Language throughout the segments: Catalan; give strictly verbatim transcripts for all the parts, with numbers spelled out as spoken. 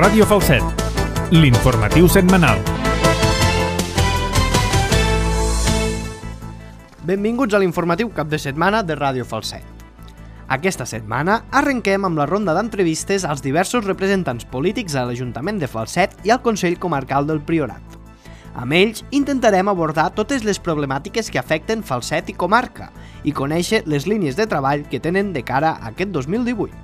Ràdio Falset, l'informatiu setmanal. Benvinguts a l'informatiu cap de setmana de Ràdio Falset. Aquesta setmana arrenquem amb la ronda d'entrevistes als diversos representants polítics a l'Ajuntament de Falset i al Consell Comarcal del Priorat. Amb ells intentarem abordar totes les problemàtiques que afecten Falset i comarca i conèixer les línies de treball que tenen de cara a aquest dos mil divuit.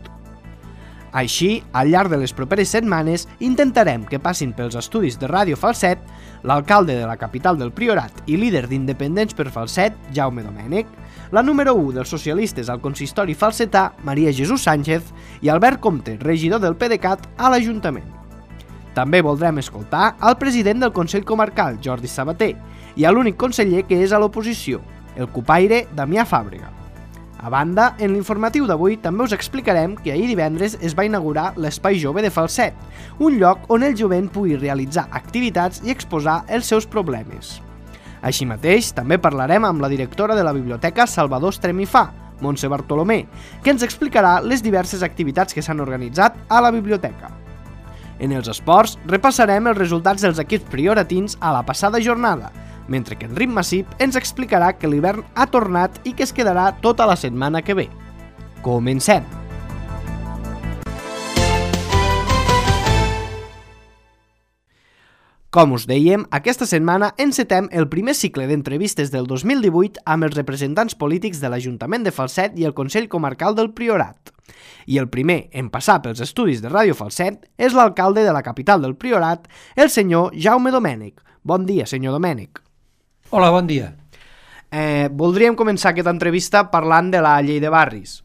Així, al llarg de les properes setmanes, intentarem que passin pels estudis de Ràdio Falset l'alcalde de la capital del Priorat i líder d'Independents per Falset, Jaume Domènech, la número u dels socialistes al consistori falsetà, Maria Jesús Sánchez, i Albert Comte, regidor del PDeCAT a l'Ajuntament. També voldrem escoltar al president del Consell Comarcal, Jordi Sabater, i a l'únic conseller que és a l'oposició, el cupaire Damià Fàbrega. A banda, en l'informatiu d'avui també us explicarem que ahir divendres es va inaugurar l'Espai Jove de Falset, un lloc on el jovent pugui realitzar activitats i exposar els seus problemes. Així mateix, també parlarem amb la directora de la Biblioteca Salvador Estremifà, Montse Bartolomé, que ens explicarà les diverses activitats que s'han organitzat a la biblioteca. En els esports, repassarem els resultats dels equips prioratins a la passada jornada, mentre que en Ritme Massip ens explicarà que l'hivern ha tornat i que es quedarà tota la setmana que ve. Comencem! Com us dèiem, aquesta setmana encetem el primer cicle d'entrevistes del dos mil divuit amb els representants polítics de l'Ajuntament de Falset i el Consell Comarcal del Priorat. I el primer en passar pels estudis de Ràdio Falset és l'alcalde de la capital del Priorat, el senyor Jaume Domènech. Bon dia, senyor Domènech. Hola, bon dia. Eh, voldríem començar aquesta entrevista parlant de la llei de barris.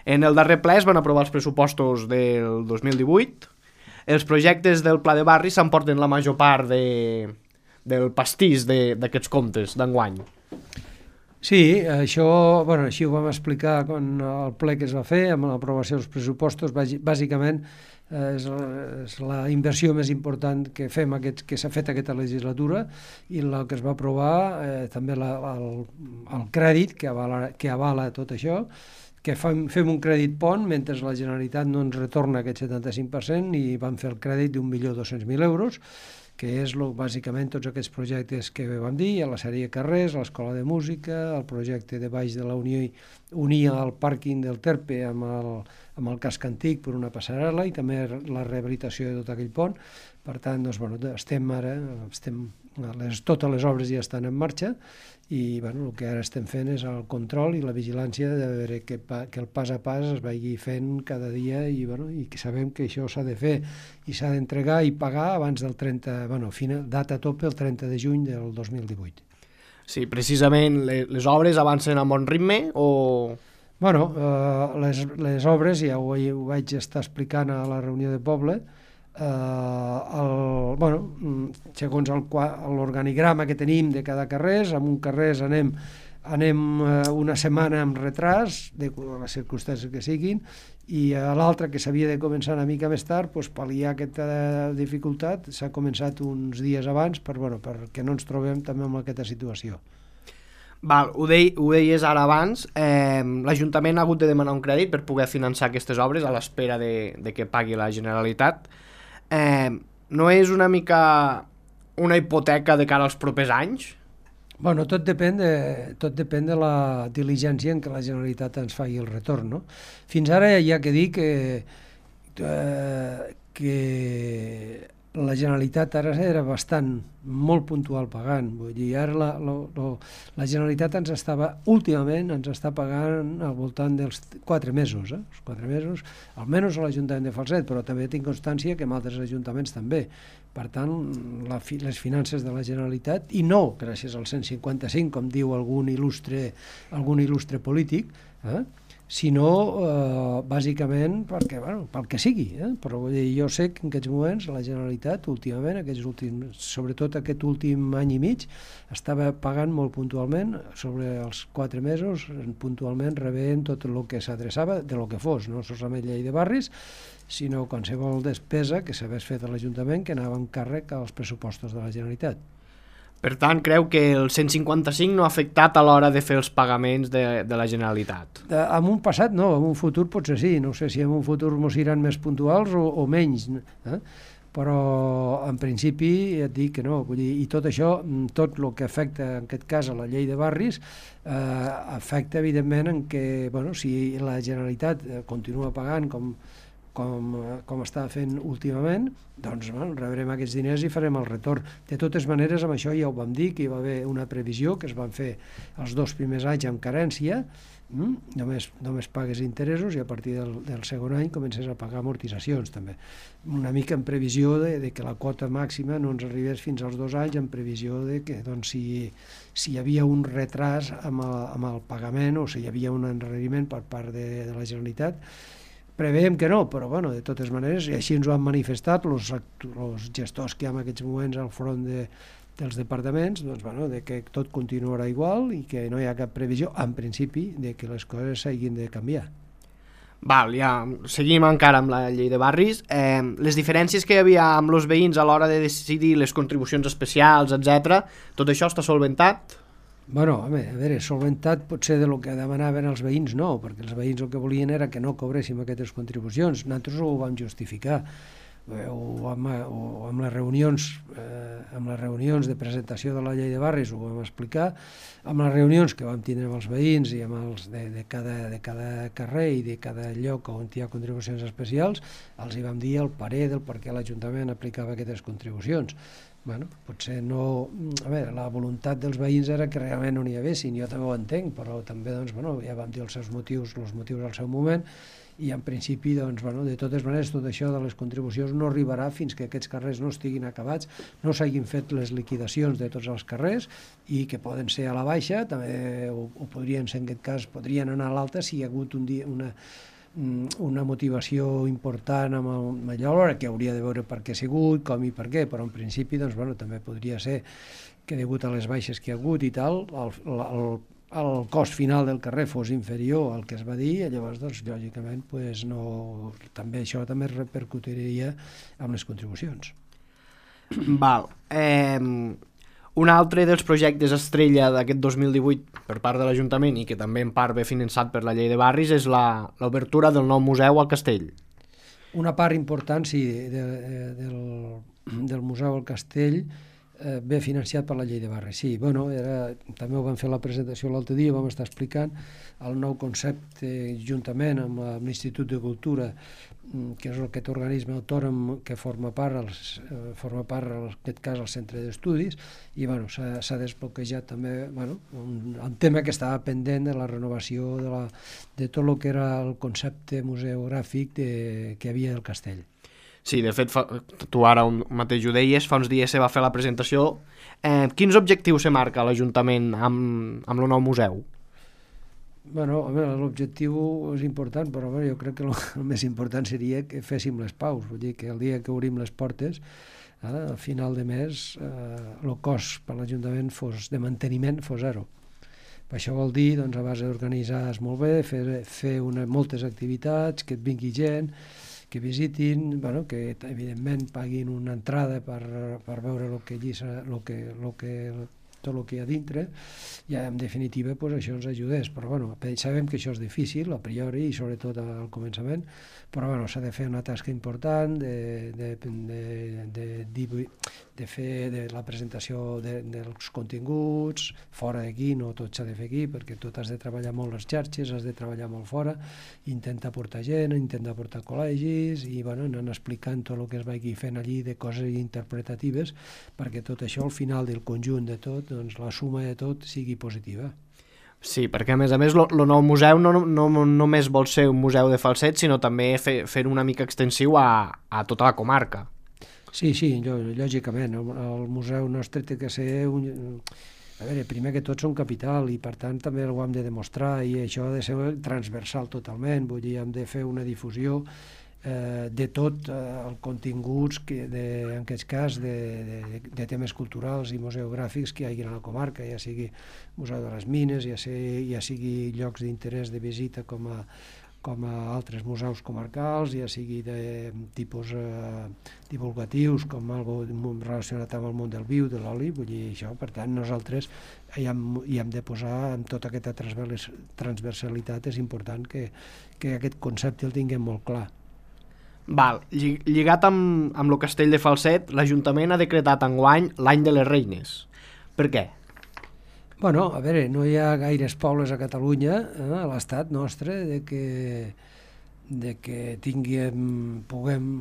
En el darrer ple es van aprovar els pressupostos del dos mil divuit. Els projectes del pla de barris s'emporten la major part de, del pastís d'aquests comptes d'enguany. Sí, això, bueno, així ho vam explicar quan el ple que es va fer amb l'aprovació dels pressupostos. Bàsicament és, és la inversió més important que fem aquest, que s'ha fet aquesta legislatura, i el que es va aprovar eh, també la, el, el crèdit que avala, que avala tot això, que fem, fem un crèdit pont mentre la Generalitat no ens retorna aquest setanta-cinc per cent, i vam fer el crèdit d'un milió dos-cents mil euros, que és lo, bàsicament tots aquests projectes que vam dir, a la sèrie Carrers, a l'Escola de Música, el projecte de baix de la Unió unia el pàrquing del Terpe amb el, amb el casc antic per una passarel·la, i també la rehabilitació de tot aquell pont. Per tant, doncs, bueno, estem ara, estem, les, totes les obres ja estan en marxa, i bueno, el que ara estem fent és el control i la vigilància de veure que, que el pas a pas es vagi fent cada dia, i, bueno, i que sabem que això s'ha de fer i s'ha d'entregar i pagar abans del trenta, bueno, final, data tope el trenta de juny del dos mil divuit. Sí, precisament les, les obres avancen a bon ritme o...? Bueno, eh, les, les obres, ja ho, ho vaig estar explicant a la reunió de poble, eh, el, bueno, segons l'organigrama que tenim de cada carrers, en un carrers anem, anem eh, una setmana amb retras, de les circumstàncies que siguin, i a l'altra, que s'havia de començar una mica més tard, doncs, pal·liar aquesta dificultat, s'ha començat uns dies abans per, bueno, perquè no ens trobem també en aquesta situació. Val, ho, dei, ho deies ara abans, eh, l'Ajuntament ha hagut de demanar un crèdit per poder finançar aquestes obres a l'espera de, de que pagui la Generalitat. Eh, no és una mica una hipoteca de cara als propers anys? Bueno, tot depèn de, tot depèn de la diligència en què la Generalitat ens faci el retorn, no? Fins ara hi ha que dir que, eh, que la Generalitat ara era bastant, molt puntual pagant. Vull dir, ara la, la, la, la Generalitat ens estava, últimament, ens està pagant al voltant dels quatre mesos, eh? Els quatre mesos, almenys a l'Ajuntament de Falset, però també tinc constància que en altres ajuntaments també. Per tant, la, les finances de la Generalitat, i no gràcies al cent cinquanta-cinc, com diu algun il·lustre, algun il·lustre polític, eh? sinó eh, bàsicament perquè, bueno, pel que sigui, eh? Però vull dir, jo sé que en aquests moments la Generalitat últimament, aquests últims, sobretot aquest últim any i mig, estava pagant molt puntualment, sobre els quatre mesos, puntualment rebent tot el que s'adreçava, de lo que fos, no solament llei de barris, sinó qualsevol despesa que s'hagués fet a l'Ajuntament que anava en càrrec als pressupostos de la Generalitat. Per tant, creu que el cent cinquanta-cinc no ha afectat a l'hora de fer els pagaments de, de la Generalitat? De, en un passat no, en un futur potser sí, no sé si en un futur mos seran més puntuals o, o menys, eh? però en principi et dic que no, vull dir, i tot això, tot el que afecta en aquest cas a la llei de barris, eh, afecta evidentment en que, bueno, si la Generalitat continua pagant com, com, com està fent últimament, doncs bueno, rebrem aquests diners i farem el retorn. De totes maneres, amb això ja ho vam dir, que hi va haver una previsió que es van fer els dos primers anys amb carència, mm? només, només pagues interessos i a partir del, del segon any comences a pagar amortitzacions també. Una mica en previsió de, de que la quota màxima no ens arribés fins als dos anys, en previsió de que doncs, si, si hi havia un retras amb el, amb el pagament o si hi havia un enreriment per part de, de la Generalitat. Preveiem que no, però bueno, de totes maneres, i així ens ho han manifestat els gestors que hi ha en aquests moments al front de, dels departaments, doncs, bueno, de que tot continuarà igual i que no hi ha cap previsió, en principi, de que les coses s'hagin de canviar. Val, ja seguim encara amb la llei de barris. Eh, les diferències que hi havia amb els veïns a l'hora de decidir les contribucions especials, etcètera, tot això està solventat? Bueno, a veure, solventat potser de lo que demanaven els veïns no, perquè els veïns el que volien era que no cobréssim aquestes contribucions. Nosaltres ho vam justificar. O amb, o amb les reunions eh, amb les reunions de presentació de la llei de barris ho vam explicar, amb les reunions que vam tindre amb els veïns i amb els de, de, cada, de cada carrer i de cada lloc on hi ha contribucions especials, els hi vam dir el parer del per què l'Ajuntament aplicava aquestes contribucions. Bueno, potser no... A veure, la voluntat dels veïns era que realment no n'hi haguessin, jo també ho entenc, però també doncs, bueno, ja vam dir els seus motius, els motius al seu moment, i en principi, doncs, bueno, de totes maneres, tot això de les contribucions no arribarà fins que aquests carrers no estiguin acabats, no s'hagin fet les liquidacions de tots els carrers i que poden ser a la baixa, també ho, ho podrien ser en aquest cas, podrien anar a l'alta si hi ha hagut un dia, una, una motivació important amb, el, amb allò, que hauria de veure per què ha sigut, com i per què, però en principi doncs, bueno, també podria ser que degut a les baixes que hi ha hagut i tal, el, el, el cost final del carrer fos inferior al que es va dir, i llavors, doncs, lògicament, pues, no, també això també repercutiria amb les contribucions. Val. Eh, un altre dels projectes estrella d'aquest dos mil divuit per part de l'Ajuntament i que també en part ve finançat per la llei de barris és l'obertura del nou museu al Castell. Una part important, sí, de, de, del, del museu al Castell eh, ve financiat per la llei de barris. Sí, bueno, era, també ho vam fer la presentació l'altre dia, vam estar explicant el nou concepte juntament amb l'Institut de Cultura, que és aquest organisme autònom que forma part, els, eh, forma part en aquest cas el centre d'estudis, i bueno, s'ha desbloquejat també bueno, un, un tema que estava pendent de la renovació de, la, de tot el que era el concepte museogràfic de, que hi havia del castell. Sí, de fet, fa, tu ara un mateix ho deies, fa uns dies se va fer la presentació. Eh, quins objectius se marca l'Ajuntament amb, amb el nou museu? Bueno, l'objectiu és important, però bueno, jo crec que el, el més important seria que féssim les paus, vull dir que el dia que obrim les portes, eh, al final de mes, eh, el cost per l'Ajuntament fos de manteniment fos zero. Això vol dir, doncs, a base d'organitzar-es molt bé, fer, fer una, moltes activitats, que et vingui gent, que visitin, bueno, que evidentment paguin una entrada per, per veure el que allí, lo que, lo que, tot el que hi ha dintre, i en definitiva pues, això ens ajudés, però bueno, sabem que això és difícil a priori i sobretot al començament, però bueno, s'ha de fer una tasca important de, de, de, de, de, de fer de la presentació de, dels continguts fora d'aquí, no tot s'ha de fer aquí perquè tot has de treballar molt les xarxes, has de treballar molt fora, intentar portar gent, intentar portar col·legis i bueno, anant explicant tot el que es vagi fent allí de coses interpretatives perquè tot això al final del conjunt de tot, doncs la suma de tot sigui positiva. Sí, perquè a més a més el nou museu no, no, no només vol ser un museu de falset, sinó també fer, fer una mica extensiu a, a tota la comarca. Sí, sí, lògicament, el, el museu nostre té que ser un... A veure, primer que tot són capital i per tant també ho hem de demostrar i això ha de ser transversal totalment, vull dir, hem de fer una difusió eh, de tot eh, els continguts, que de, en aquest cas, de, de, de temes culturals i museogràfics que hi hagi a la comarca, ja sigui Museu de les Mines, ja sigui, ja sigui llocs d'interès de visita com a, com a altres museus comarcals, ja sigui de tipus eh, divulgatius, com algo relacionat amb el món del viu, de l'oli, vull dir això, per tant nosaltres hi hem, hi hem de posar en tota aquesta transversalitat, és important que, que aquest concepte el tinguem molt clar. Val. Lligat amb, amb el castell de Falset, l'Ajuntament ha decretat enguany l'any de les Reines. Per què? Bueno, a veure, no hi ha gaires pobles a Catalunya, eh, a l'estat nostre, de que, de que tinguem, puguem,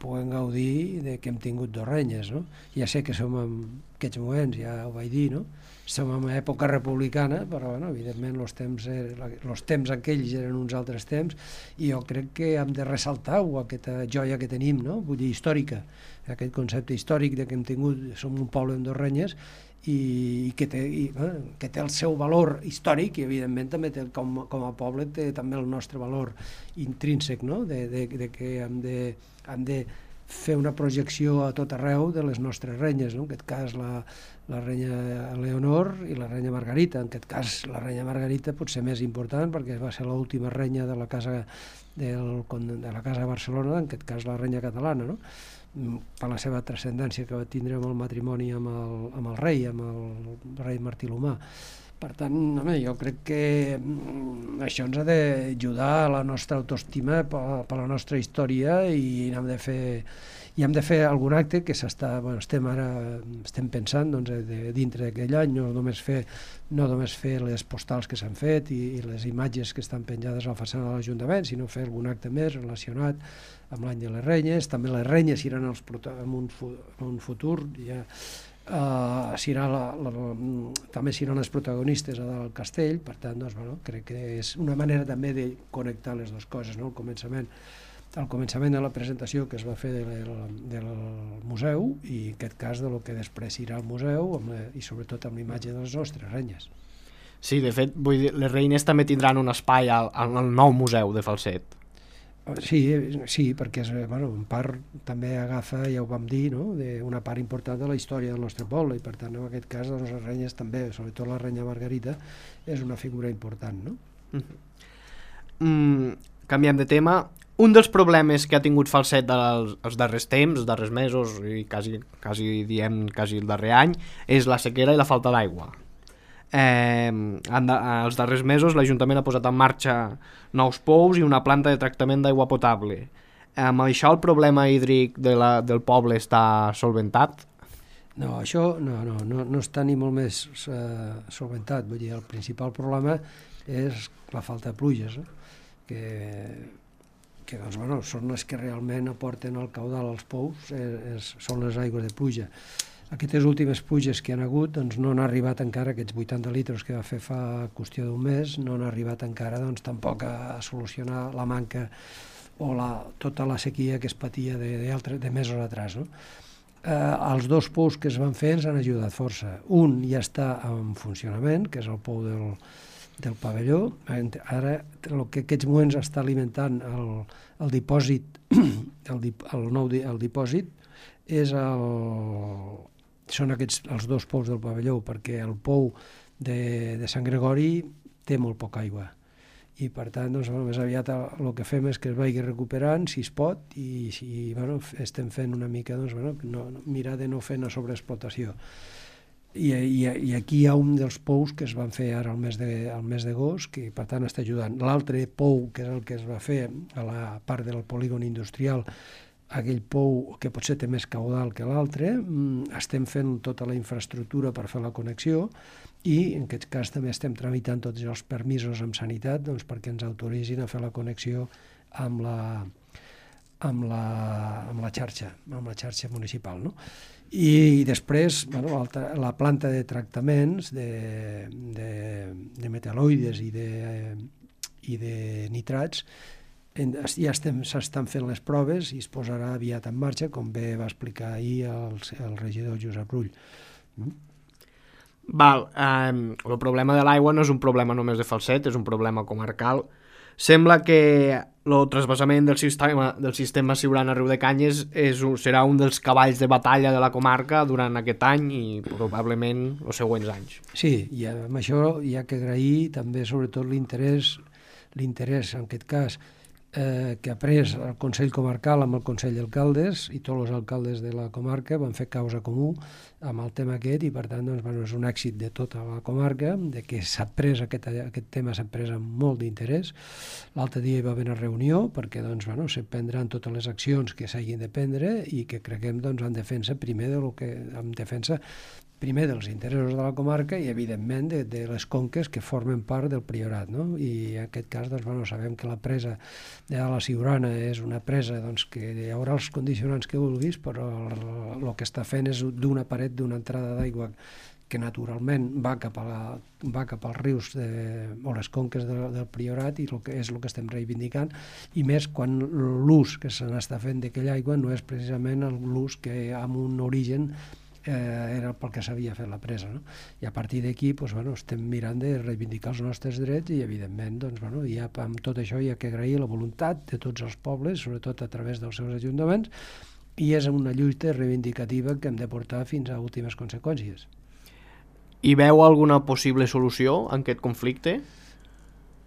puguem gaudir de que hem tingut dos renyes, no? Ja sé que som en aquests moments, ja ho vaig dir, no? Som en època republicana, però bueno, evidentment els temps, els temps aquells eren uns altres temps, i jo crec que hem de ressaltar aquesta joia que tenim, no? Vull dir, històrica, aquest concepte històric de que hem tingut, som un poble amb dos renyes, i que té, i, eh, que té el seu valor històric, i evidentment també té, com, com a poble té també el nostre valor intrínsec, no? de, de, de que hem de, hem de fer una projecció a tot arreu de les nostres renyes, no? En aquest cas la, la renya Leonor i la renya Margarita. En aquest cas la renya Margarita pot ser més important perquè va ser l'última renya de la casa del, de la casa de Barcelona, en aquest cas la renya catalana, no? Per la seva transcendència que va tindre amb el matrimoni amb el, amb el rei, amb el rei Martí l'Humà. Per tant, home, jo crec que això ens ha d'ajudar a la nostra autoestima per, per la nostra història, i hem de fer, i hem de fer algun acte que s'està, bueno, estem ara estem pensant, doncs, de, dintre d'aquell any, no només fer, no només fer les postals que s'han fet i, i les imatges que estan penjades a la façana de l'Ajuntament, sinó fer algun acte més relacionat amb l'any de les renyes. També les renyes seran els en un, en un futur, ja Uh, serà la, la, la, també seran les protagonistes del castell. Per tant, doncs, bueno, crec que és una manera també de connectar les dues coses, no? El començament, el començament de la presentació que es va fer del, del museu, i en aquest cas de lo que després serà el museu, amb la, i sobretot amb l'imatge de les nostres renyes. Sí, de fet, vull dir, les reines també tindran un espai al, al nou museu de Falset. Sí, sí, perquè és, bueno, en part també agafa, ja ho vam dir, no? De una part important de la història del nostre poble, i per tant en aquest cas doncs, les renyes també, sobretot la renya Margarita, és una figura important, no? Mm-hmm. mm, canviem de tema. Un dels problemes que ha tingut Falset dels, els darrers temps, els darrers mesos, i quasi, quasi diem quasi el darrer any, és la sequera i la falta d'aigua. Eh, els darrers mesos l'Ajuntament ha posat en marxa nous pous i una planta de tractament d'aigua potable. Amb això el problema hídric de la, del poble està solventat? No, això no, no, no, no està ni molt més uh, solventat. Vull dir, el principal problema és la falta de pluges, no? que, que doncs, bueno, són les que realment aporten el caudal als pous, és, és, són les aigües de pluja. Aquestes últimes pluges que han hagut doncs, no han arribat encara, aquests vuitanta litres que va fer fa qüestió d'un mes, no han arribat encara doncs, tampoc a solucionar la manca o la, tota la sequia que es patia de, de, altre, de mesos atrás, no? Eh, els dos pous que es van fer ens han ajudat força. Un ja està en funcionament, que és el pou del, del pavelló. Ara, el que aquests moments està alimentant el, el dipòsit, el, dip, el nou di, el dipòsit, és el, són aquests, els dos pous del pavelló, perquè el pou de, de Sant Gregori té molt poca aigua. I per tant, doncs, bueno, més aviat el que fem és que es vagi recuperant, si es pot, i si bueno, estem fent una mica, doncs, bueno, no, mirar de no fer una sobreexplotació. I, i, I aquí hi ha un dels pous que es van fer ara al mes de, al mes d'agost, que per tant està ajudant. L'altre pou, que és el que es va fer a la part del polígon industrial, aquell pou que potser té més caudal que l'altre, estem fent tota la infraestructura per fer la connexió, i en aquest cas també estem tramitant tots els permisos amb sanitat, doncs, perquè ens autoritzin a fer la connexió amb la, amb la, amb la xarxa, amb la xarxa municipal, no? I després, bueno, la planta de tractaments de, de, de metal·loides i de, i de nitrats, ja s'estan fent les proves i es posarà aviat en marxa, com bé va explicar ahir el, el regidor Josep Rull. Mm? Val, eh, el problema de l'aigua no és un problema només de Falset, és un problema comarcal. Sembla que el trasbassament del sistema, del sistema Siurana Riu de Canyes és, serà un dels cavalls de batalla de la comarca durant aquest any i probablement els següents anys. Sí, i amb això hi ha que agrair també sobretot l'interès, l'interès en aquest cas, eh, que ha pres el Consell Comarcal amb el Consell d'Alcaldes, i tots els alcaldes de la comarca van fer causa comú amb el tema aquest, i per tant doncs, bueno, és un èxit de tota la comarca, de que s'ha pres aquest, aquest tema s'ha pres amb molt d'interès. L'altre dia hi va haver una reunió perquè doncs, bueno, se prendran totes les accions que s'hagin de prendre i que creguem doncs, en defensa primer de lo que, en defensa primer dels interessos de la comarca i, evidentment, de, de les conques que formen part del Priorat, no? I en aquest cas, doncs, bueno, sabem que la presa de la Siurana és una presa doncs, que hi haurà els condicionants que vulguis, però el, el que està fent és d'una paret, d'una entrada d'aigua que naturalment va cap, a la, va cap als rius de, o les conques de, del Priorat, i el que és el que estem reivindicant, i més quan l'ús que se n'està fent d'aquella aigua no és precisament l'ús que amb un origen Eh, era pel que s'havia fet la presa, no? I a partir d'aquí doncs, bueno, estem mirant de reivindicar els nostres drets i, evidentment, doncs, bueno, ja, amb tot això hi ha que agrair la voluntat de tots els pobles, sobretot a través dels seus ajuntaments, i és una lluita reivindicativa que hem de portar fins a últimes conseqüències. I veu alguna possible solució en aquest conflicte?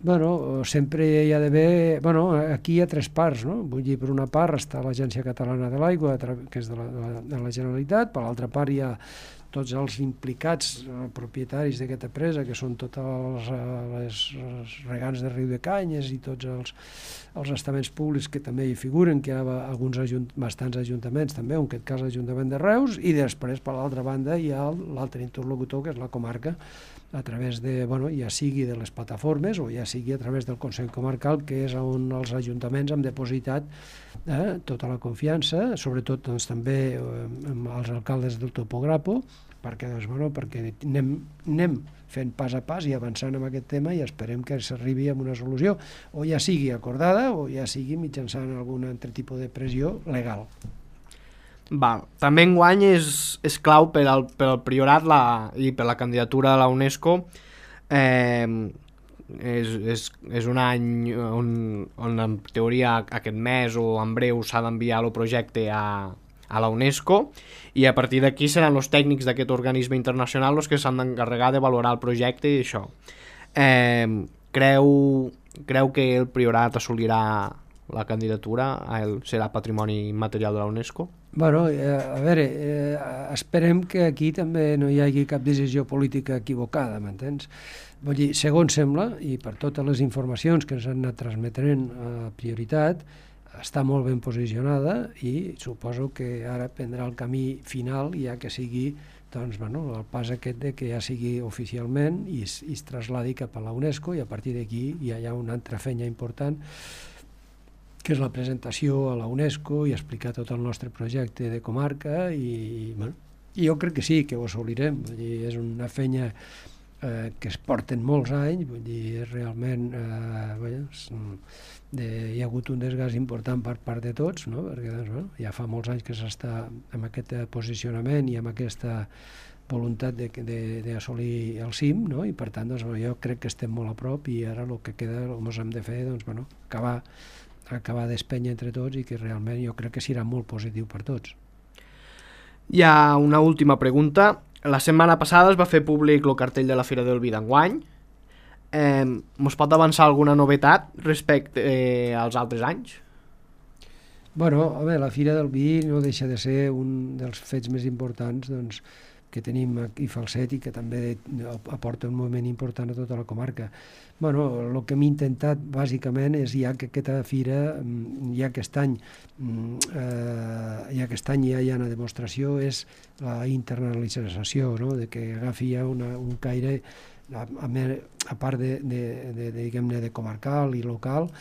Bueno, sempre hi ha d'haver... Bueno, aquí hi ha tres parts, no? Vull dir, per una part està l'Agència Catalana de l'Aigua, que és de la, de la, de la Generalitat, per l'altra part hi ha tots els implicats, eh, propietaris d'aquesta presa, que són tots els, les, els regants de Riu de Canyes i tots els, els estaments públics que també hi figuren, que hi ha alguns ajunt, bastants ajuntaments també, en aquest cas l'Ajuntament de Reus, i després, per l'altra banda, hi ha l'altre interlocutor, que és la comarca, a través de, bueno, ja sigui de les plataformes o ja sigui a través del Consell Comarcal, que és on els ajuntaments han depositat eh, tota la confiança, sobretot doncs, també eh, amb els alcaldes del Topograpo, perquè, doncs, bueno, perquè anem, anem fent pas a pas i avançant en aquest tema i esperem que s'arribi a una solució, o ja sigui acordada o ja sigui mitjançant algun altre tipus de pressió legal. Val. També enguany és, és clau per al, per al Priorat la, i per la candidatura a la UNESCO. Eh, és, és, és un any on, on en teoria aquest mes o en breu s'ha d'enviar el projecte a, a la UNESCO, i a partir d'aquí seran els tècnics d'aquest organisme internacional els que s'han d'encarregar de valorar el projecte i això. Eh, creu, creu que el Priorat assolirà la candidatura, el, serà patrimoni immaterial de la UNESCO? Bueno, eh, a veure, eh, esperem que aquí també no hi hagi cap decisió política equivocada, m'entens? Vull dir, segons sembla, i per totes les informacions que ens han anat transmetent a Prioritat, està molt ben posicionada i suposo que ara prendrà el camí final, ja que sigui doncs, bueno, el pas aquest de que ja sigui oficialment i es, i es trasladi cap a la UNESCO, i a partir d'aquí ja hi ha una altra feina important, que és la presentació a la UNESCO i explicar tot el nostre projecte de comarca, i, bueno, i jo crec que sí, que ho assolirem. Vull dir, és una feina eh, que es porten molts anys, vull dir, és realment eh, bueno, és, de, hi ha hagut un desgast important per part de tots, no? Perquè doncs, bueno, ja fa molts anys que s'està amb aquest posicionament i amb aquesta voluntat d'assolir el cim, no? I per tant doncs, jo crec que estem molt a prop, i ara el que queda, el que hem de fer, doncs, bueno, acabar acabar d'espènyer entre tots, i que realment jo crec que serà molt positiu per tots. Hi ha una última pregunta. La setmana passada es va fer públic el cartell de la Fira del Vi d'enguany. Eh, mos pot avançar alguna novetat respecte eh, als altres anys? Bueno, home, la Fira del Vi no deixa de ser un dels fets més importants, doncs, que tenim aquí a Falset, i que també aporta un moment important a tota la comarca. Bueno, el que hem intentat bàsicament és, ja que aquesta fira, ja aquest any, eh, ja aquest any ja hi ha una demostració, és la internalització, no? De que agafi ja una, un caire, a, a part de, de, de, de, diguem-ne, de comarcal i local,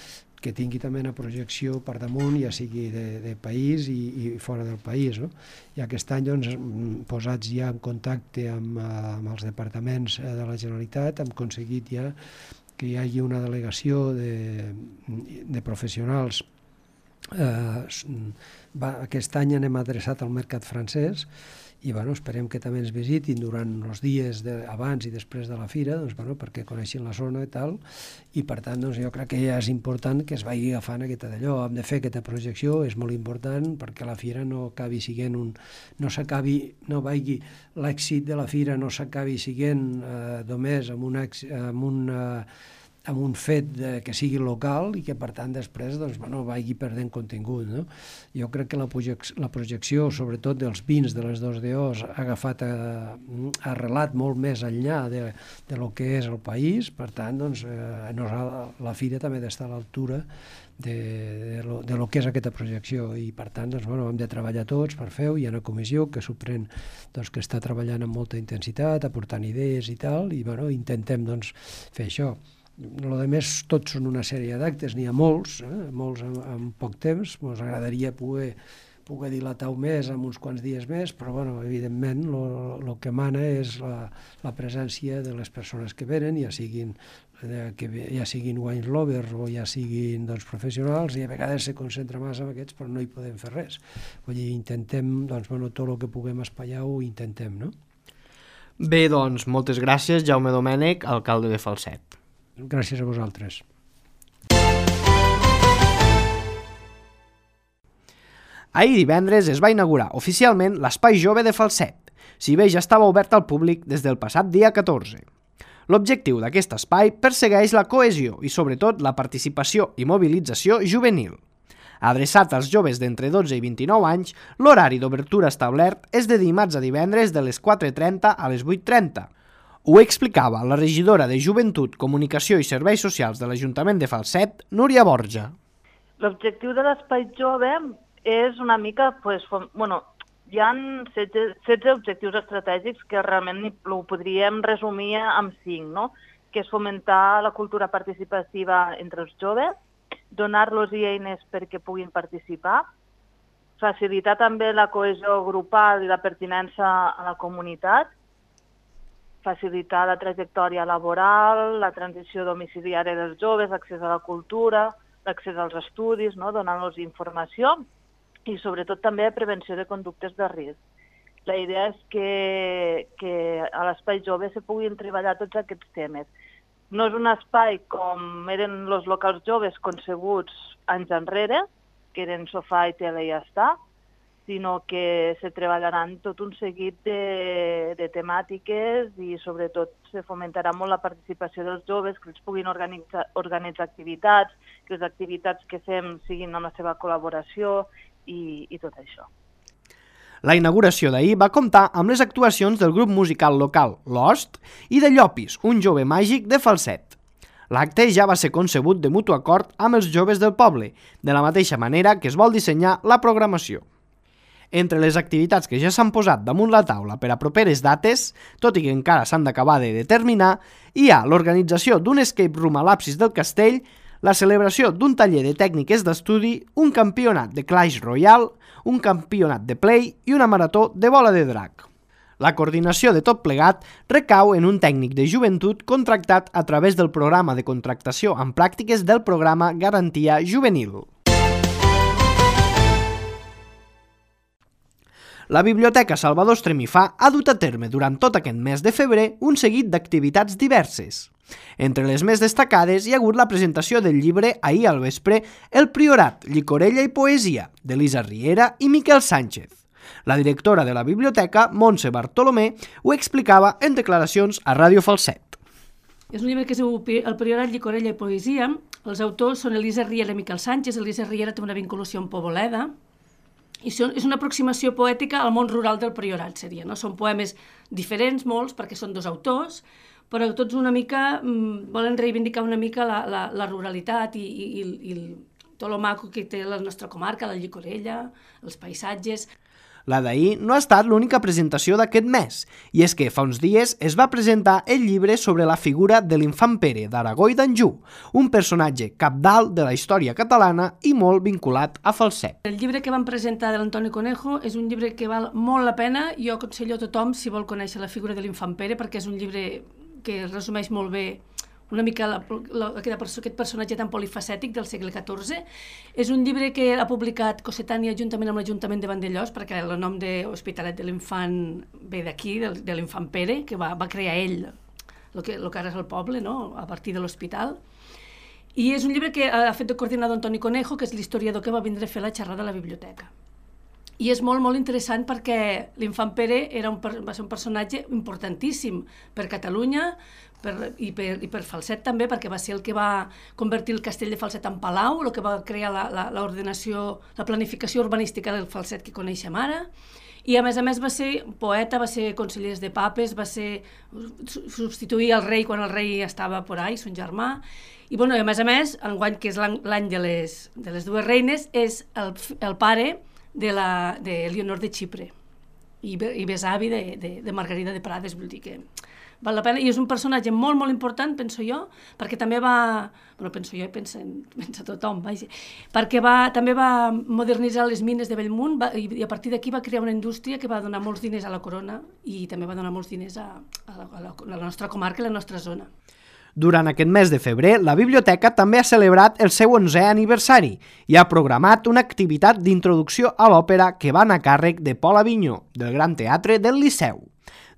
que tingui també una projecció per damunt, ja sigui de, de país i, i fora del país, no? I aquest any, doncs, posats ja en contacte amb, amb els departaments de la Generalitat, hem aconseguit ja que hi hagi una delegació de, de professionals. Eh, va, aquest any anem adreçat al mercat francès, i bueno, esperem que també ens visitin durant els dies de, abans i després de la fira, doncs, bueno, perquè coneixin la zona i tal, i per tant doncs, jo crec que ja és important que es vagi agafant aquesta d'allò. Hem de fer aquesta projecció, és molt important, perquè la fira no acabi siguent un... no s'acabi, no vagi l'èxit de la fira no s'acabi siguent eh, només amb un, amb un, eh, amb un fet de, que sigui local i que per tant després doncs, bueno, vagi perdent contingut. No? Jo crec que la, projec la projecció sobretot dels vins de les dos D Os ha agafat, ha arrelat molt més enllà de, de lo que és el país, per tant doncs, eh, la fira també ha d'estar a l'altura de, de, lo, de lo que és aquesta projecció i per tant doncs, bueno, hem de treballar tots per fer-ho. Hi ha una comissió que s'ho pren, doncs, que està treballant amb molta intensitat, aportant idees i tal, i bueno, intentem doncs, fer això. El que més tots són una sèrie d'actes, n'hi ha molts, eh? molts en, en poc temps, ens agradaria poder, poder dilatar-ho més en uns quants dies més, però bueno, evidentment el que mana és la, la presència de les persones que venen, ja siguin, eh, que, ja siguin wine lovers o ja siguin doncs, professionals, i a vegades se concentra massa en aquests, però no hi podem fer res. Vull dir, intentem, doncs, bueno, tot el que puguem espaiar ho intentem, no? Bé, doncs, moltes gràcies, Jaume Domènech, alcalde de Falset. Gràcies a vosaltres. Ahir divendres es va inaugurar oficialment l'Espai Jove de Falset, si bé ja estava obert al públic des del passat dia catorze. L'objectiu d'aquest espai persegueix la cohesió i sobretot la participació i mobilització juvenil. Adreçat als joves d'entre dotze i vint-i-nou anys, l'horari d'obertura establert és de dimarts a divendres de les quatre trenta a les vuit trenta. Ho explicava la regidora de Joventut, Comunicació i Serveis Socials de l'Ajuntament de Falset, Núria Borja. L'objectiu de l'Espai Jove és una mica, pues, bueno, hi ha setze objectius estratègics que realment ho podríem resumir amb cinc, no? Que és fomentar la cultura participativa entre els joves, donar-los eines perquè puguin participar, facilitar també la cohesió grupal i la pertinença a la comunitat, facilitar la trajectòria laboral, la transició domiciliària dels joves, l'accés a la cultura, l'accés als estudis, no? Donant-los informació i sobretot també prevenció de conductes de risc. La idea és que, que a l'Espai Jove se puguin treballar tots aquests temes. No és un espai com eren els locals joves concebuts anys enrere, que eren sofà i tele i ja està, sinó que se treballaran tot un seguit de, de temàtiques i sobretot se fomentarà molt la participació dels joves, que els puguin organitzar, organitzar activitats, que les activitats que fem siguin amb la seva col·laboració i, i tot això. La inauguració d'ahir va comptar amb les actuacions del grup musical local Lost i de Llopis, un jove màgic de Falset. L'acte ja va ser concebut de mutu acord amb els joves del poble, de la mateixa manera que es vol dissenyar la programació. Entre les activitats que ja s'han posat damunt la taula per a properes dates, tot i que encara s'han d'acabar de determinar, hi ha l'organització d'un escape room a l'absis del castell, la celebració d'un taller de tècniques d'estudi, un campionat de Clash Royale, un campionat de Play i una marató de bola de drac. La coordinació de tot plegat recau en un tècnic de joventut contractat a través del programa de contractació amb pràctiques del programa Garantia Juvenil. La Biblioteca Salvador Estremifà ha dut a terme durant tot aquest mes de febrer un seguit d'activitats diverses. Entre les més destacades hi ha hagut la presentació del llibre ahir al vespre El Priorat, Llicorella i Poesia, d'Elisa Riera i Miquel Sánchez. La directora de la biblioteca, Montse Bartolomé, ho explicava en declaracions a Ràdio Falset. És un llibre que es diu El Priorat, Llicorella i Poesia. Els autors són Elisa Riera i Miquel Sánchez. Elisa Riera té una vinculació amb Poboleda. I és una aproximació poètica al món rural del Priorat, seria, no? Són poemes diferents, molts, perquè són dos autors, però tots una mica mmm, volen reivindicar una mica la, la, la ruralitat i, i, i, i tot el maco que té la nostra comarca, la Llicorella, els paisatges. La d'ahir no ha estat l'única presentació d'aquest mes, i és que fa uns dies es va presentar el llibre sobre la figura de l'infant Pere d'Aragó i d'Anjou, un personatge cabdal de la història catalana i molt vinculat a Falset. El llibre que van presentar de l'Antoni Conejo és un llibre que val molt la pena. Jo aconsello a tothom, si vol conèixer la figura de l'infant Pere, perquè és un llibre que resumeix molt bé una mica la, la, aquest personatge tan polifacètic del segle catorze. És un llibre que ha publicat Cossetània juntament amb l'Ajuntament de Vandellòs, perquè el nom d'Hospitalet de l'Infant ve d'aquí, de, de l'infant Pere, que va, va crear ell el que, el que ara és el poble, no? A partir de l'hospital. I és un llibre que ha fet de coordinador Antoni Conejo, que és l'historiador que va vindre a fer la xerrada a la biblioteca. I és molt, molt interessant perquè l'infant Pere era un, va ser un personatge importantíssim per Catalunya, per, i, per, i per Falset també, perquè va ser el que va convertir el castell de Falset en palau, el que va crear l'ordenació, la, la planificació urbanística del Falset que coneixem ara, i a més a més va ser poeta, va ser conseller de papes, va ser substituir el rei quan el rei estava por ahí, son germà, i, bueno, a més a més, enguany, que és l'any de, les, de les dues reines, és el, el pare de, la, de Leonor de Xipre i, i besavi de, de, de Margarida de Prades, vull dir que val la pena, i és un personatge molt, molt important, penso jo, perquè també va, bueno, penso jo i pensa, pensa tothom, vaja, perquè va, també va modernitzar les mines de Bellmunt va, i, i a partir d'aquí va crear una indústria que va donar molts diners a la corona i també va donar molts diners a, a, la, a, la, a la nostra comarca i a la nostra zona. Durant aquest mes de febrer, la biblioteca també ha celebrat el seu onzè aniversari i ha programat una activitat d'introducció a l'òpera que va anar a càrrec de Pol Avinyó, del Gran Teatre del Liceu.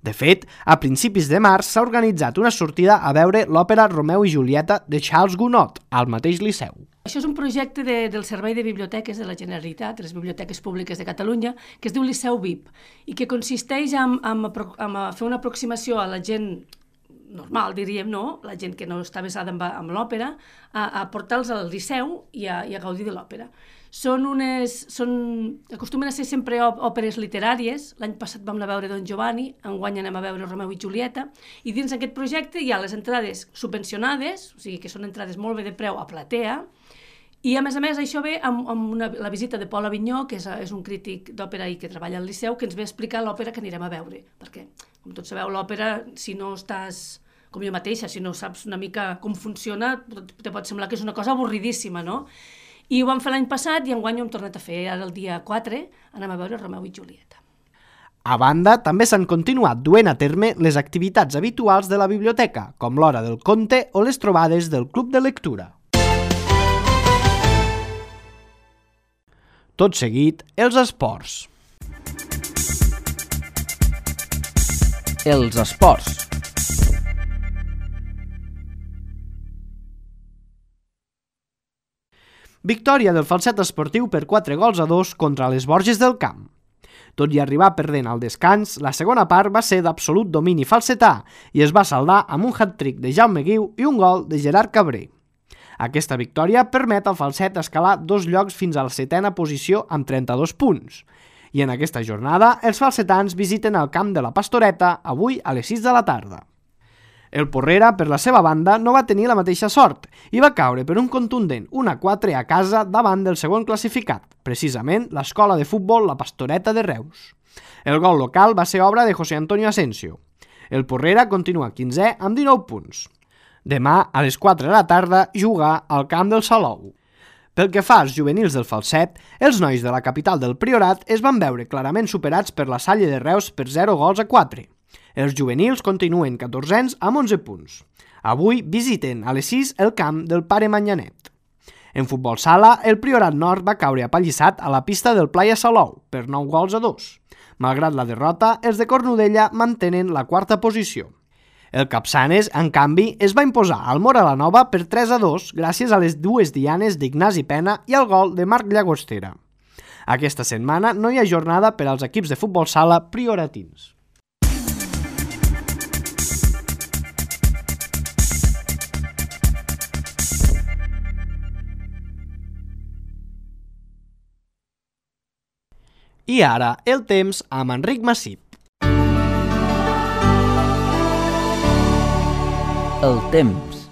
De fet, a principis de març s'ha organitzat una sortida a veure l'òpera Romeu i Julieta de Charles Gounod, al mateix Liceu. Això és un projecte de, del Servei de Biblioteques de la Generalitat, de les Biblioteques Públiques de Catalunya, que es diu Liceu V I P, i que consisteix en, en, en fer una aproximació a la gent normal, diríem, no? La gent que no està vesada amb, amb l'òpera, a, a portar-los al Liceu i a, i a gaudir de l'òpera. Són unes, són, acostumen a ser sempre òperes literàries. L'any passat vam anar a veure Don Giovanni, enguany anem a veure Romeu i Julieta, i dins d'aquest projecte hi ha les entrades subvencionades, o sigui que són entrades molt bé de preu a platea, i a més a més això ve amb, amb una, la visita de Pol Avinyó, que és, és un crític d'òpera i que treballa al Liceu, que ens ve a explicar l'òpera que anirem a veure, perquè, com tots sabeu, l'òpera, si no estàs, com jo mateixa, si no saps una mica com funciona, te pot semblar que és una cosa avorridíssima, no? I ho vam fer l'any passat i enguany ho hem tornat a fer. Ara el dia quatre anem a veure Romeu i Julieta. A banda, també s'han continuat duent a terme les activitats habituals de la biblioteca, com l'hora del conte o les trobades del club de lectura. Tot seguit, els esports. Els esports. Victòria del Falset esportiu per quatre gols a dos contra les Borges del Camp. Tot i arribar perdent al descans, la segona part va ser d'absolut domini falsetà i es va saldar amb un hat-trick de Jaume Guiu i un gol de Gerard Cabré. Aquesta victòria permet al Falset escalar dos llocs fins a la setena posició amb trenta-dos punts. I en aquesta jornada, els falsetans visiten el camp de la Pastoreta avui a les sis de la tarda. El Porrera, per la seva banda, no va tenir la mateixa sort i va caure per un contundent un a quatre a casa davant del segon classificat, precisament l'escola de futbol La Pastoreta de Reus. El gol local va ser obra de José Antonio Asensio. El Porrera continua quinzè amb dinou punts. Demà, a les quatre de la tarda, juga al camp del Salou. Pel que fa als juvenils del Falset, els nois de la capital del Priorat es van veure clarament superats per la Salle de Reus per zero gols a quatre. Els juvenils continuen catorzens amb onze punts. Avui visiten a les sis el camp del Pare Manyanet. En futbol sala, el Priorat Nord va caure apallissat a la pista del Playa Salou per nou gols a dos. Malgrat la derrota, els de Cornudella mantenen la quarta posició. El Capçanes, en canvi, es va imposar al Mora la Nova per tres a dos gràcies a les dues dianes d'Ignasi Pena i al gol de Marc Llagostera. Aquesta setmana no hi ha jornada per als equips de futbol sala prioratins. I ara, el temps amb Enric Massip. El temps.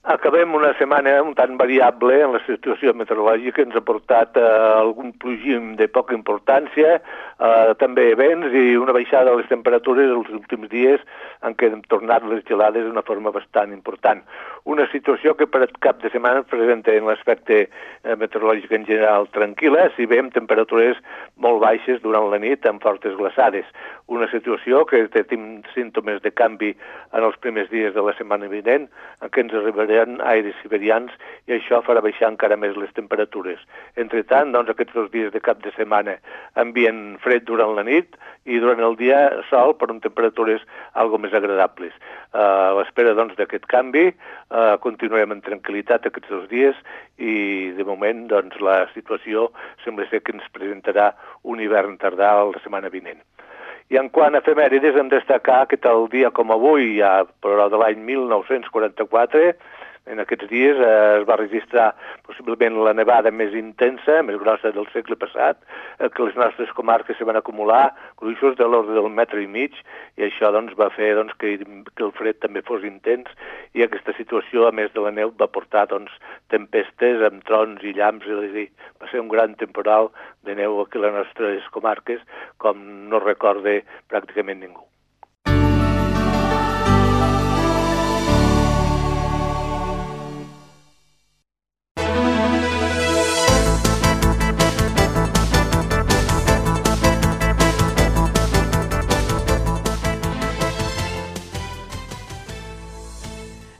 Acabem una setmana un tant variable en la situació meteorològica, ens ha portat eh, algun plogim de poca importància, eh, també vents i una baixada de les temperatures els últims dies en què hem tornat les gelades d'una forma bastant important. Una situació que per cap de setmana es presenta en l'aspecte eh, meteorològic en general tranquil·la, si bé amb temperatures molt baixes durant la nit amb fortes glaçades. Una situació que té símptomes de canvi en els primers dies de la setmana vinent, en què ens arribaran aires siberians i això farà baixar encara més les temperatures. Entre tant, doncs, aquests dos dies de cap de setmana ambient fred durant la nit i durant el dia sol per amb temperatures algo més agradables. Uh, a l'espera doncs, d'aquest canvi, uh, continuem en tranquil·litat aquests dos dies i de moment doncs, la situació sembla ser que ens presentarà un hivern tardà la setmana vinent. I en quant a efemèrides hem de destacar que tal dia com avui, ja, però de l'any mil nou-cents quaranta-quatre, en aquests dies eh, es va registrar possiblement la nevada més intensa, més grossa del segle passat, eh, que les nostres comarques se van acumular gruixos de l'ordre del metre i mig, i això doncs, va fer doncs, que, que el fred també fos intens, i aquesta situació, a més de la neu, va portar doncs, tempestes amb trons i llamps, és a dir, va ser un gran temporal de neu aquí a les nostres comarques, com no recorde pràcticament ningú.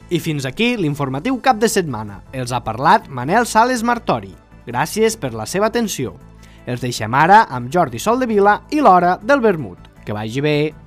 I fins aquí l'informatiu cap de setmana. Els ha parlat Manel Sales Martori. Gràcies per la seva atenció. Els deixem ara amb Jordi Soldevila i l'Hora del Vermut. Que vagi bé!